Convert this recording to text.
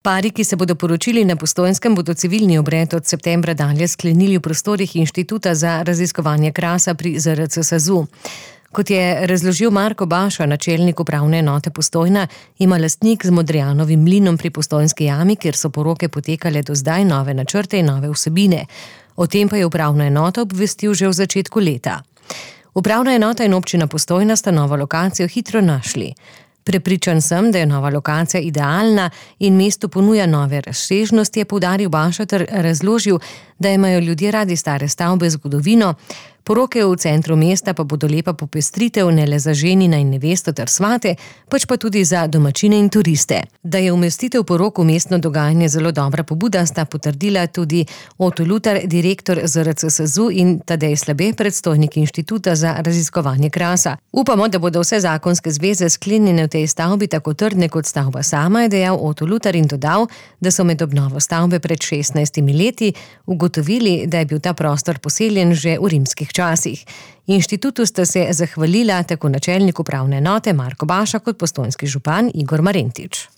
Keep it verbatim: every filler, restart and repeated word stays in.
Pari, ki se bodo poročili na Postojnskem, bodo civilni obred od septembra dalje sklenili v prostorih Inštituta za raziskovanje krasa pri Z R C SAZU. Kot je razložil Marko Baša, načelnik upravne enote Postojna, ima lastnik z Modrijanovim mlinom pri Postojnski jami, kjer so poroke potekale do zdaj, nove načrte in nove vsebine. O tem pa je upravna enota obvestil že v začetku leta. Upravna enota in občina Postojna sta novo lokacijo hitro našli. Prepričan sem, da je nova lokacija idealna in mestu ponuja nove razsežnosti, je poudaril Baša ter razložil, da imajo ljudje radi stare stavbe z zgodovino, poroke v centru mesta pa bodo lepa popestritev ne le za ženina in nevesto ter svate, pač pa tudi za domačine in turiste. Da je umestitev porok v mestno dogajanje zelo dobra pobuda, sta potrdila tudi Oto Lutar, direktor Z R C SAZU, in Tadej Slabe, predstojnik Inštituta za raziskovanje krasa. Upamo, da bodo vse zakonske zveze sklenjene v tej stavbi tako trdne kot stavba sama, je dejal Oto Lutar in dodal, da so med obnovo stavbe pred šestnajstimi leti ugotovili, da je bil ta prostor poseljen že v rimskih časih. Inštitutu sta se zahvalila tako načelnik upravne enote Marko Baša kot postojnski župan Igor Marentič.